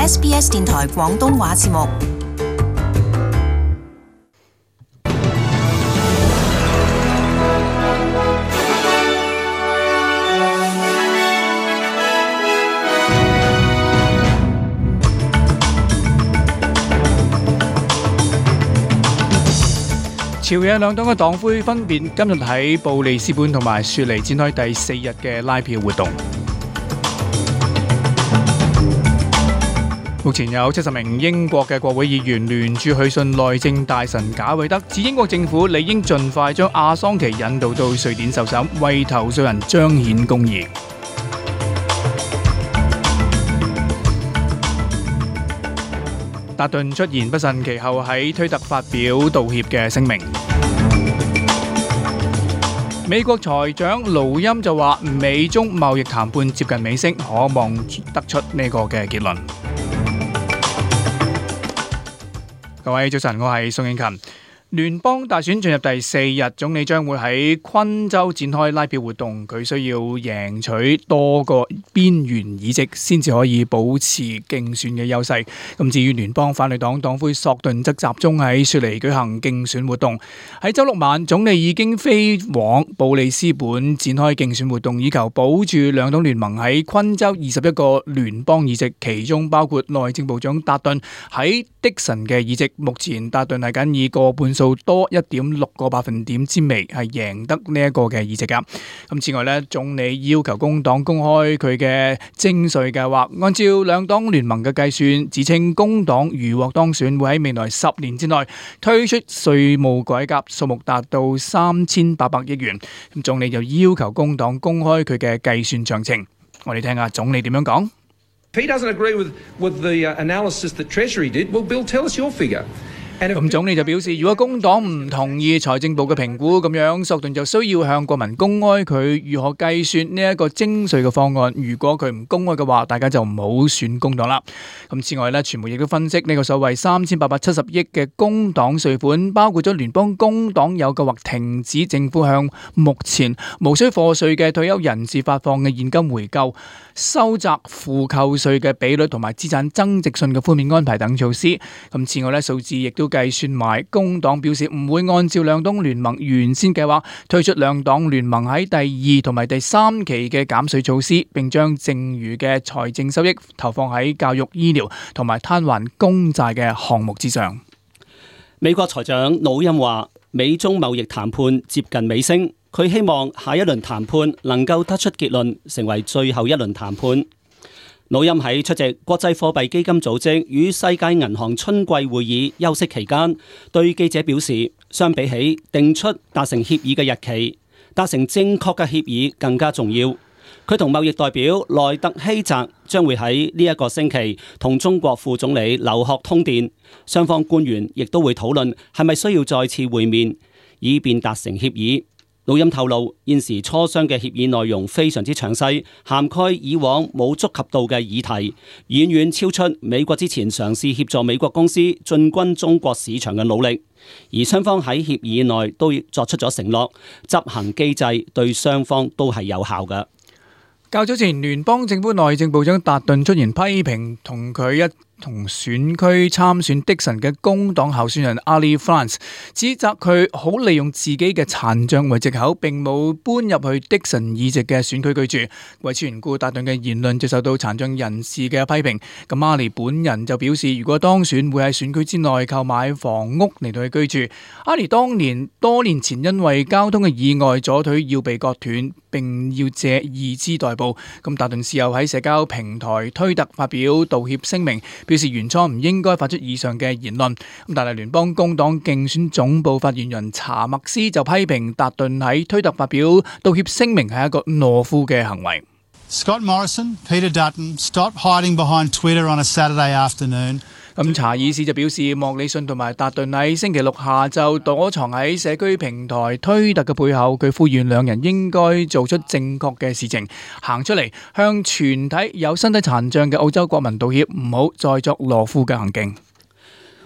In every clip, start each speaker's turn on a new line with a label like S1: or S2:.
S1: SBS 電台廣東話節目。
S2: 朝野兩黨嘅黨魁分別今日喺布里斯本同埋雪梨展開第4日嘅拉票活動。目前有70名英國嘅國會議員聯署去信內政大臣賈偉德，指英國政府理應盡快將阿桑奇引渡到瑞典受審，為投訴人彰顯公義。達頓出言不慎，其後喺推特發表道歉嘅聲明。美國財長盧欽就話，美中貿易談判接近尾聲，可望得出呢個嘅結論。各位早晨，我係宋應勤。聯邦大選進入第4日，總理將會喺昆州展開拉票活動。佢需要贏取多個邊緣議席，先至可以保持競選嘅優勢。咁至於聯邦反對黨黨魁索頓則集中喺雪梨舉行競選活動。喺周六晚，總理已經飛往布里斯本展開競選活動，以求保住兩黨聯盟喺昆州21個聯邦議席，其中包括內政部長達頓喺迪神嘅議席。目前達頓係僅以過半數多1.6個百分點之微係贏得呢一個嘅議席噶。咁此外呢，總理要求工黨公開佢嘅徵稅計劃。按照兩黨聯盟嘅計算，指稱工黨如獲當選，會喺未來10年之內推出稅務改革，數目達到3800億元。咁總理就要求工黨公開佢嘅計算詳情。我哋聽下總理點樣講。
S3: If he doesn't agree with the analysis that Treasury did, well, Bill, tell us your figure.
S2: 咁總理就表示，如果工黨唔同意財政部嘅評估，咁樣索頓就需要向國民公開佢如何計算呢一個徵稅嘅方案。如果佢唔公開嘅話，大家就唔好選工黨啦。咁此外呢，傳媒亦都分析呢個所謂3870億嘅工黨稅款，包括咗聯邦工黨有計劃停止政府向目前無需課稅嘅退休人士發放嘅現金回購、收窄負扣稅嘅比率同埋資產增值稅嘅寬免安排等措施。咁此外呢，數字亦都計算埋工黨表示唔會按照兩黨聯盟原先計劃推出兩黨聯盟喺第2同埋第3期嘅減稅措施，並將剩餘嘅財政收益投放喺教育、醫療同埋攤還公債嘅項目之上。
S4: 美國財長魯欽話，美中貿易談判接近尾聲，佢希望下一輪談判能夠得出結論，成為最後一輪談判。魯欽喺出席國際貨幣基金組織與世界銀行春季會議休息期間，對記者表示，相比起定出達成協議嘅日期，達成正確嘅協議更加重要。佢同貿易代表萊特希澤將會喺呢一個星期同中國副總理劉鶴通電，雙方官員亦都會討論係咪需要再次會面，以便達成協議。魯欽透露，現時磋商嘅協議內容非常之詳細，涵蓋以往冇觸及到嘅議題，遠遠超出美國之前嘗試協助美國公司進軍中國市場嘅努力。而雙方喺協議內都作出咗承諾，執行機制對雙方都係有效嘅。
S2: 較早前，聯邦政府內政部長達頓出言批評同佢同選區參選迪神嘅工黨候選人 Ali France， 指責佢好利用自己嘅殘障為藉口，並冇搬入去迪神議席嘅選區居住。為此緣故，達頓嘅言論就受到殘障人士嘅批評。咁 Ali 本人就表示，如果當選會喺選區之內購買房屋嚟到去居住。Ali 多年前因為交通嘅意外，左腿要被割斷，並要借義肢代步。咁達頓事後喺社交平台推特發表道歉聲明，表示原初唔應該發出以上嘅言論。但係聯邦工黨競選總部發言人查默斯就批評達頓喺推特發表道歉聲明係一個懦夫嘅行為。
S5: Scott Morrison, Peter Dutton, stop hiding behind Twitter on a Saturday afternoon.
S2: 咁查爾斯就表示，莫里遜同埋達頓喺星期六下晝躲藏喺社區平台推特嘅背後，佢呼籲兩人應該做出正確嘅事情，行出嚟向全體有身體殘障嘅澳洲國民道歉，唔好再作懦夫嘅行徑。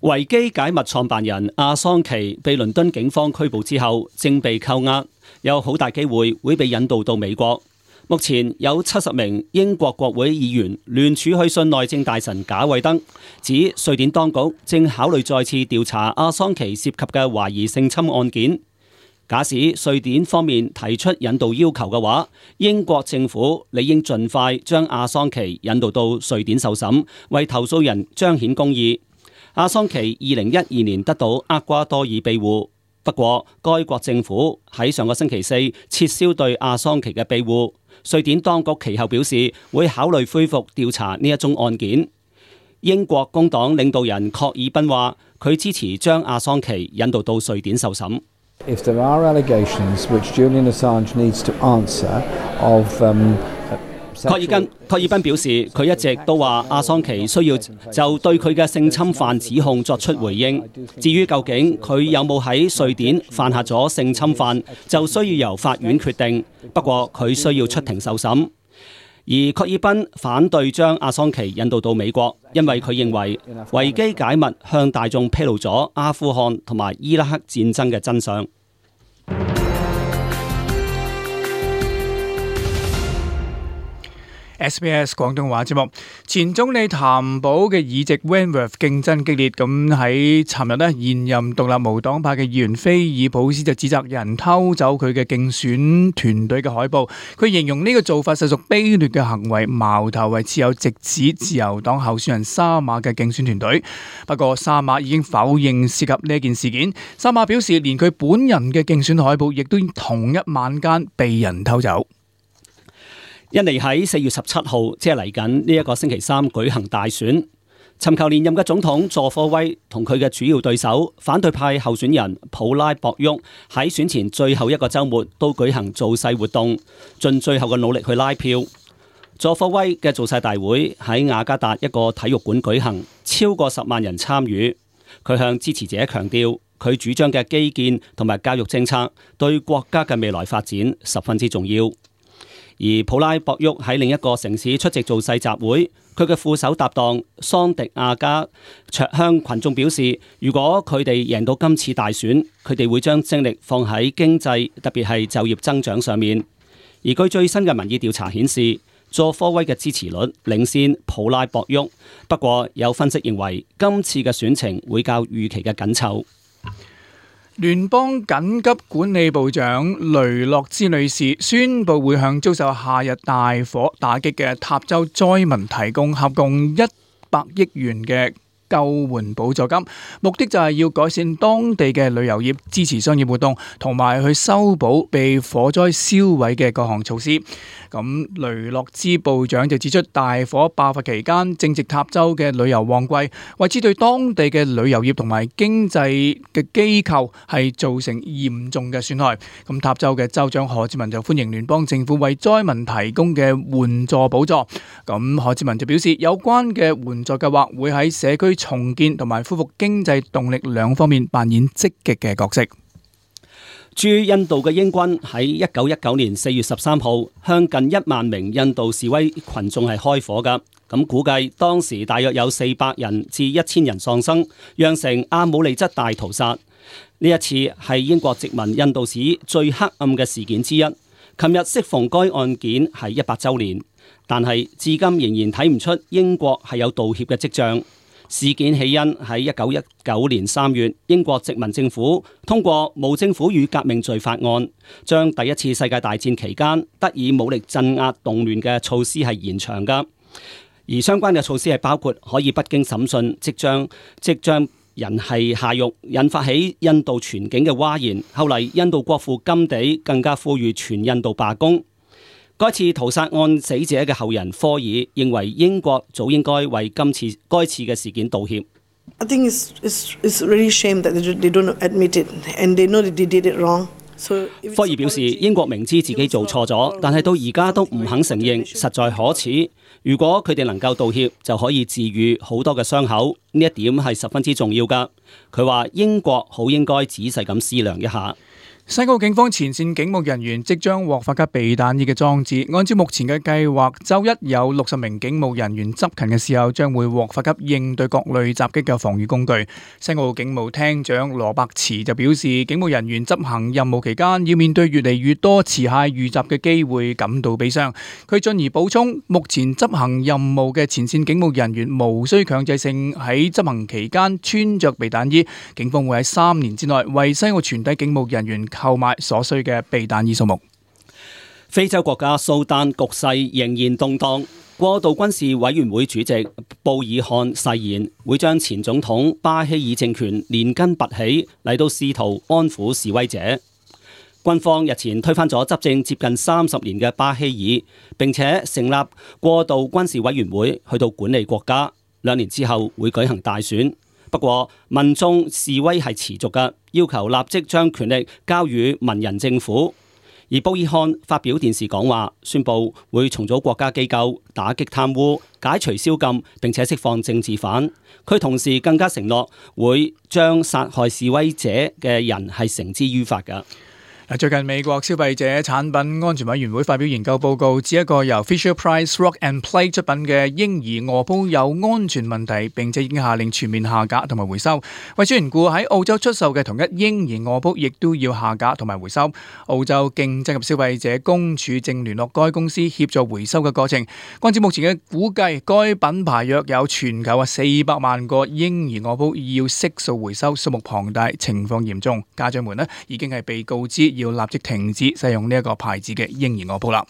S4: 維基解密創辦人阿桑奇被倫敦警方拘捕之後，正被扣押，有好大機會會被引渡到美國。目前有70名英國國會議員聯署去信內政大臣賈偉德，指瑞典當局正考慮再次調查阿桑奇涉及嘅懷疑性侵案件。假使瑞典方面提出引渡要求嘅話，英國政府理應盡快將阿桑奇引渡到瑞典受審，為投訴人彰顯公義。阿桑奇2012年得到厄瓜多爾庇護，不過該國政府喺上個星期四撤銷對阿桑奇嘅庇護。瑞典當局其後表示會考慮恢復調查呢一宗案件。英國工黨領導人郝爾賓話，佢支持將阿桑奇引渡到瑞典受審。
S6: If there are allegations which Julian Assange needs to answer of 郝爾賓表示，佢一直都話阿桑奇需要就對佢嘅性侵犯指控作出回應。至於究竟佢有冇喺瑞典犯下咗性侵犯，就需要由法院決定。不過佢需要出庭受審。而郝爾賓反對將阿桑奇引渡到美國，因為佢認為維基解密向大眾披露咗阿富汗同埋伊拉克戰爭嘅真相。
S2: SBS 廣東話節目，前總理譚寶嘅議席 Wentworth 競爭激烈，咁喺尋日呢，現任獨立無黨派嘅議員菲爾普斯就指責有人偷走佢嘅競選團隊嘅海報，佢形容呢個做法實屬卑劣嘅行為，矛頭係持有直指自由黨候選人沙馬嘅競選團隊。不過沙馬已經否認涉及呢件事件，沙馬表示連佢本人嘅競選海報亦都同一晚間被人偷走。
S4: 印尼喺4月17號，即係嚟緊呢一個星期三舉行大選，尋求連任嘅總統佐科威同佢嘅主要對手反對派候選人普拉博沃喺選前最後一個週末都舉行造勢活動，盡最後嘅努力去拉票。佐科威嘅造勢大會喺雅加達一個體育館舉行，超過10萬人參與。佢向支持者強調，佢主張嘅基建同埋教育政策對國家嘅未來發展十分之重要。而普拉博沃喺另一個城市出席造勢集會，佢嘅副手搭檔桑迪亞加卓向群眾表示，如果佢哋贏到今次大選，佢哋會將精力放喺經濟，特別係就業增長上面。而據最新嘅民意調查顯示，佐科威嘅支持率領先普拉博沃，不過有分析認為今次嘅選情會較預期嘅緊湊。
S2: 聯邦緊急管理部長雷諾茲女士宣布會向遭受夏日大火打擊嘅塔州災民提供合共100億元嘅救援補助金，目的就係要改善當地嘅旅遊業，支持商業活動，同埋去修補被火災燒毀嘅各項措施。咁雷諾茲部長就指出，大火爆發期間正值塔州嘅旅遊旺季，為此對當地嘅旅遊業同埋經濟嘅機構係造成嚴重嘅損害。咁塔州嘅州長何志文就歡迎聯邦政府為災民提供嘅援助補助。咁何志文就表示，有關嘅援助計劃會喺社區重建同埋恢復經濟動力兩方面扮演積極嘅角色。駐印度嘅英軍喺1919年4月13號向近1萬名印度示威群眾係開火㗎，咁估計當時大約有400人至1000人喪生，釀成阿姆利則大屠殺。呢一次係英國殖民印度史最黑暗嘅事件之一。琴日適逢該案件係100週年，但係至今仍然睇唔出英國係有道歉嘅跡象。事件起因喺1919年3月，英國殖民政府通過《無政府與革命罪法案》，將第一次世界大戰期間得以武力鎮壓動亂嘅措施係延長㗎。而相關嘅措施係包括可以不經審訊即將人係下獄，引發起印度全境嘅譁然。後嚟印度國父甘地更加呼籲全印度罷工。該次屠殺案死者嘅後人科爾認為英國早應該為該次嘅事件道歉。
S7: I think it's really shame that they don't admit it and they know that they did it wrong.
S4: 科爾表示，英國明知自己做錯咗，但係到而家都唔肯承認，實在可恥。如果佢哋能夠道歉，就可以治癒好多嘅傷口，呢一點係十分之重要㗎。佢話英國好應該仔細咁思量一下。
S2: 西澳警方前線警務人員即將獲發給避彈衣嘅裝置，按照目前嘅計劃，周一有60名警務人員執勤嘅時候，將會獲發給應對各類襲擊嘅防禦工具。西澳警務廳長羅伯茨就表示，警務人員執行任務期間要面對越嚟越多持械遇襲嘅機會，感到悲傷。佢進而補充，目前執行任務嘅前線警務人員無需強制性喺執行期間穿着避彈衣，警方會喺3年之內為西澳全體警務人員購買所需嘅避彈衣數目。
S4: 非洲國家蘇丹局勢仍然動盪，過渡軍事委員會主席布爾漢誓言會將前總統巴希爾政權連根拔起，嚟到試圖安撫示威者。軍方日前推翻咗執政接近30年嘅巴希爾，並且成立過渡軍事委員會去到管理國家。2年之後會舉行大選。不過民眾示威係持續嘅，要求立即將權力交予文人政府。而布爾漢發表電視講話，宣布會重組國家機構，打擊貪污，解除宵禁，並且釋放政治犯。佢同時更加承諾會將殺害示威者嘅人係繩之於法嘅。
S2: 最近美國消費者產品安全委員會發表研究報告，指一個由 Fisher-Price Rock and Play 出品嘅嬰兒餓煲有安全問題，並且已經下令全面下架同埋回收。為此緣故，喺澳洲出售嘅同一嬰兒餓煲亦都要下架同埋回收。澳洲競爭及消費者公署正聯絡該公司協助回收嘅過程。按照目前嘅估計，該品牌約有全球400萬個嬰兒餓煲要悉數回收，數目龐大，情況嚴重。家長們已經係被告知要立即停止使用呢一個牌子嘅嬰兒餓煲啦。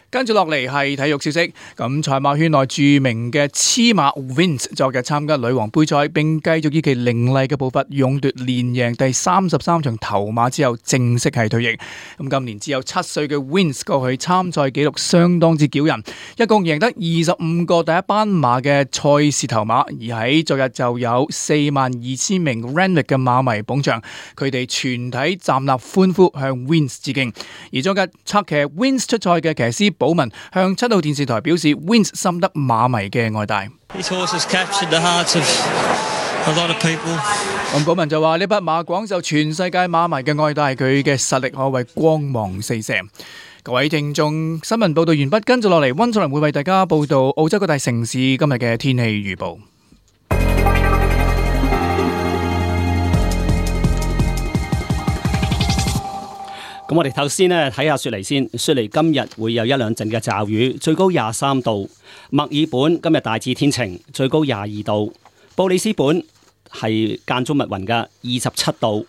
S2: 跟住落嚟係體育消息，咁賽馬圈內著名嘅黐馬 Wins 昨日參加女王杯賽，並繼續以其凌厲嘅步伐勇奪連贏第33場頭馬之後，正式係退役。咁今年只有7歲嘅 Wins 過去參賽紀錄相當之驕人，一共贏得25個第一班馬嘅賽事頭馬，而喺昨日就有42,000名 Randwick 嘅馬迷捧場，佢哋全體站立歡呼向 Wins 致敬。而昨日策騎 Wins 出賽嘅騎師寶文向7號電視台表示 ，Wins 深得馬迷嘅愛戴。咁寶文就話：呢匹馬廣受全世界馬迷嘅愛戴，佢嘅實力可謂光芒四射。各位聽眾，新聞報道完畢，跟住落嚟，溫楚良會為大家報道澳洲各大城市今日嘅天氣預報。
S4: 咁我哋頭先呢睇下雪梨先，雪梨今日會有1-2陣嘅驟雨，最高23度。墨爾本今日大致天晴，最高22度。布里斯本係間中密雲嘅27度。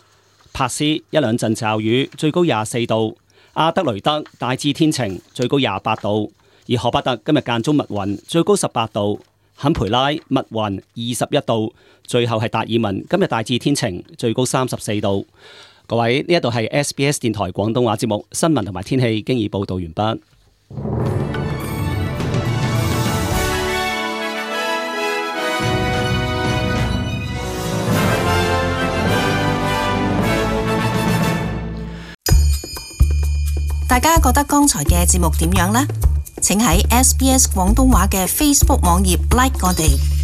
S4: 珀斯1-2陣驟雨，最高24度。阿德雷德大致天晴，最高28度。而荷伯特今日間中密雲，最高18度。坎培拉密雲21度。最後係達爾文今日大致天晴，最高34度。各位，呢一度係 SBS 電台廣東話節目，新聞同埋天氣經已報道完畢。
S1: 大家覺得剛才嘅節目點樣呢？請喺 SBS 廣東話嘅 Facebook 網頁 like 我哋。